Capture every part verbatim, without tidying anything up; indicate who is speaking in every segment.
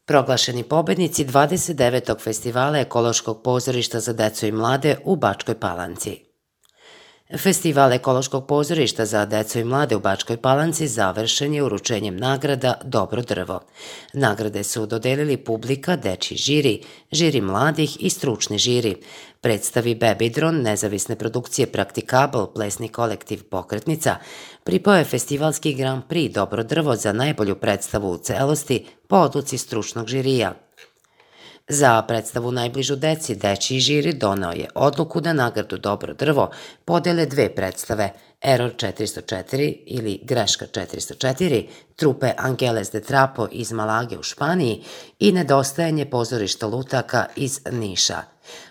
Speaker 1: Proglašeni pobednici dvadeset devetog festivala ekološkog pozorišta za decu i mlade u Bačkoj Palanci. Festival ekološkog pozorišta za decu i mlade u Bačkoj Palanci završen je uručenjem nagrada Dobro drvo. Nagrade su dodelili publika, dečji žiri, žiri mladih i stručni žiri. Predstavi Bebidron, nezavisne produkcije Praktikabl, plesni kolektiv Pokretnica, pripao je festivalski Grand Prix Dobro drvo za najbolju predstavu u celosti po odluci stručnog žirija. Za predstavu najbližu deci, dečji žiri donao je odluku da nagradu Dobro drvo podele dve predstave, Error četiristo četiri ili Greška četiristo četiri, trupe Angeles de Trapo iz Malage u Španiji i Nedostajanje pozorišta lutaka iz Niša.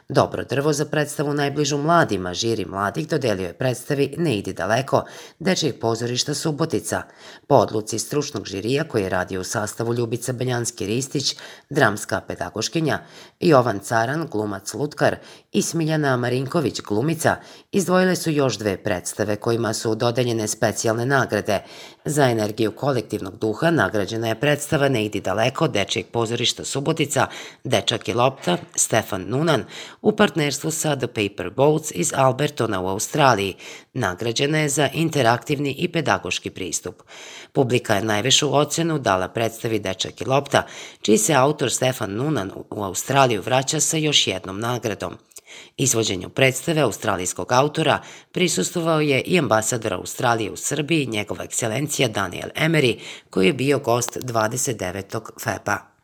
Speaker 1: Dobro drvo za predstavu najbližu mladima, žiri mladih dodelio je predstavi Ne idi daleko, dečjeg pozorišta Subotica, po odluci stručnog žirija koji je radio u sastavu Ljubica Beljanski-Ristić, dramska pedagoškinja, Jovan Caran, glumac lutkar i Smiljana Marinković, glumica, izdvojile su još dve predstave kojima su dodeljene specijalne nagrade. Za energiju kolektivnog duha nagrađena je predstava Ne idi daleko, dečjeg pozorišta Subotica, Dečak i lopta, Stefan Nunan, u partnerstvu sa The Paper Boats iz Albertona u Australiji. Nagrađena je za interaktivni i pedagoški pristup. Publika je najvišu ocenu dala predstavi Dečak i lopta, čiji se autor Stefan Nunan u Australiju vraća sa još jednom nagradom. Izvođenju predstave australijskog autora prisustvovao je i ambasador Australije u Srbiji, njegova ekscelencija Daniel Emery, koji je bio gost dvadeset devetog feba.